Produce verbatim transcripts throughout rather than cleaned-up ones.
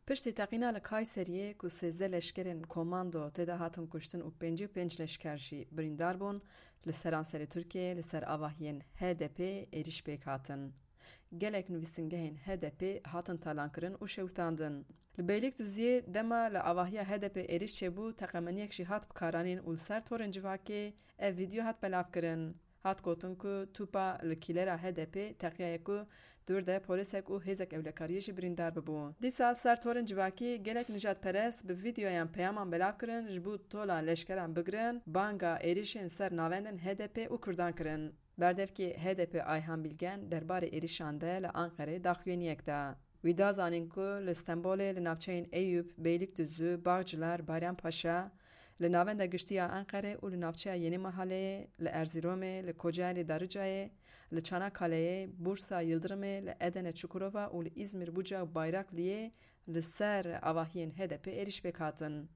Piştî teqîna li Kayseriyê ku sêzdeh leşkerên komando tê de hatin kuştin û pêncî û pênc leşker jî birîndar bûn, li seranserê Tirkiyeyê li ser avahiyên H D P êrîş pêk hatin. Gelek nivîsingehên H D P hatin talankirin û şewitandin. Li Beylikdüziyê dema li avahiya H D P êrîş çêbû, teqemeniyek jî hat bikaranîn û li ser torên civakê ev vîdeo hat belavkirin. Hat gotin ku tûpa li kîlera H D P teqiyaye ku di wir de polîsek û hêzek ewlekariyê jî birîndar bibû. Dîsa li ser torên civakî gelek nijadperest bi vîdeoyan peyaman belav kirin, ji bo tola leşkeran bigirin, banga êrîşên ser navendên H D P û Kurdan kirin. Berdevkê H D P Ayhan Bilgen derbarê êrîşan de li Anqerê daxuyaniyek da. Wî da zanîn ku li Stenbolê, li navçeyên Eyûp, Beylikdüzü, Bağcılar, Bayrampaşa, li navenda giştî ya Enqerê û li navçeya Yeni Mahaleyê, li Erzîromê, li Kocaelî Darıcayê, li Çanakkale'yê, Bursa Yıldırımê, li Edene Çukurova û li Îzmir Buca û Bayrakliyê li ser avahiyên H D P êrîş pêk hatin.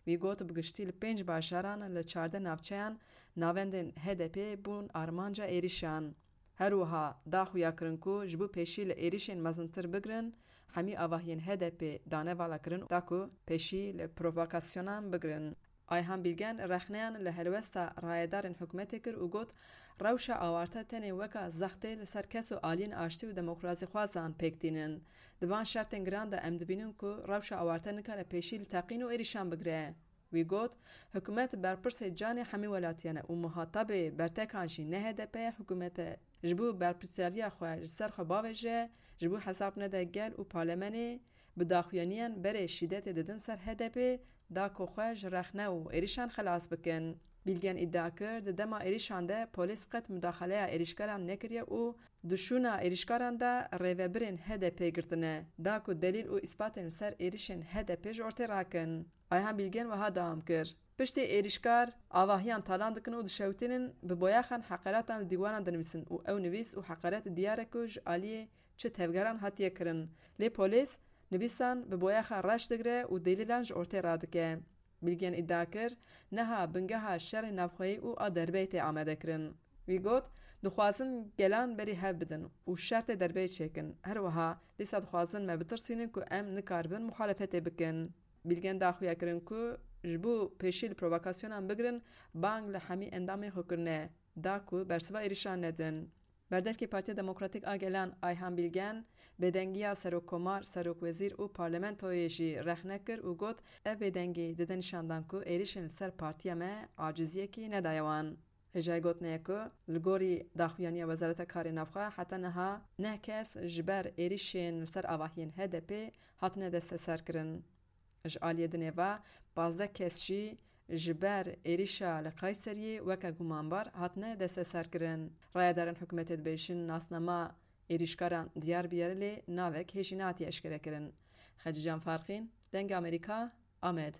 Wî got, bi giştî li pênc bajaran li çardeh navçeyan navendên H D P bûn armanca êrîşan. Her wiha da xuya kirin ku ji bo pêşî li êrîşên mezintir bigirin, hemî avahiyên H D P dane vala kirin da ku pêşî li provokasyonan bigirin. Ayhan Bilgen rexneyan li helwesta rayedarên hikûmetê kir û got, rewşa awarte tenê weka zextê li ser kes û aliyên aştî û demokrasîxwazan pêk tînin. Di van şertên giran de em dibînin ku rewşa awarte nikare pêşî li teqîn û êrîşan bigire. Wî got, hikûmet berpirsê canê hemî welatiyan e û muhatabê bertekan jî ne H D P ye, hikûmet e. Ji bo berpirsyariya xwe ji ser xwe bavêje, ji bo hesab nede gel û parlemenê, bi daxuyaniyan berê şîdetê didin ser H D P, da ku xwe ji rexne û êrîşan xelas bikin. Bilgen îdia kir, di dema êrîşan de polîs qet mudaxaleya êrîşkaran nekiriye û di şûna êrîşkaran de rêvebirên H D P girtine, da ku delîl û îspatên li ser êrîşên H D P ji ortê rakin. Ayhan Bilgen wiha dewam kir, piştî êrîşkar avahiyan talan dikin û dişewitînin, bi boyaxan heqeratan li dîwaran dinivîsin û ew nivîs û heqeret diyar e ku ji aliyê çi tevgeran hatiye kirin. Lê polîs nivîsan bi boyaxa reş digire û delîlan ji ortê radike. Bilgen îdia kir, niha bingeha şerê navxweyî û a derbeyê tê amadekirin. Wî got, dixwazin gelan berî hev bidin û şertê derbeyê çêkin. Her wiha dîsa dixwazin me bitirsînin ku em nikaribin muxalefetê bikin. Bilgen da xuya kirin ku ji bo pêşî li provokasyonan bigirin, bang li hemî endamên xwe kirine, da ku bersiva êrîşan nedin. Berdevkê Partiya Demokratîk a Gelan Ayhan Bilgen bêdengiya Serokkomar, Serokwezîr û Parlamentoyê jî rexne kir û got, ev bêdengî dide nîşandan ku êrîşên li ser partiya me aciziyekî nedaye wan. Hêjayî gotinê ye ku li gorî daxuyaniya Wezareta Karê Navxwe heta niha neh kes ji ber êrîşên li ser avahiyên H D P hatine desteserkirin. Ji aliyê dinê ve pazdeh kes jî ji ber êrîşa li Kayseriyê weke gumanbar hatine desteserkirin. Rayedarên hikûmetê dibêjin nasnama êrîşkaran diyar bûye lê navek hê jî nehatiye eşkerekirin. Xecîcan Farqîn, Dengê Amerîka, Amed.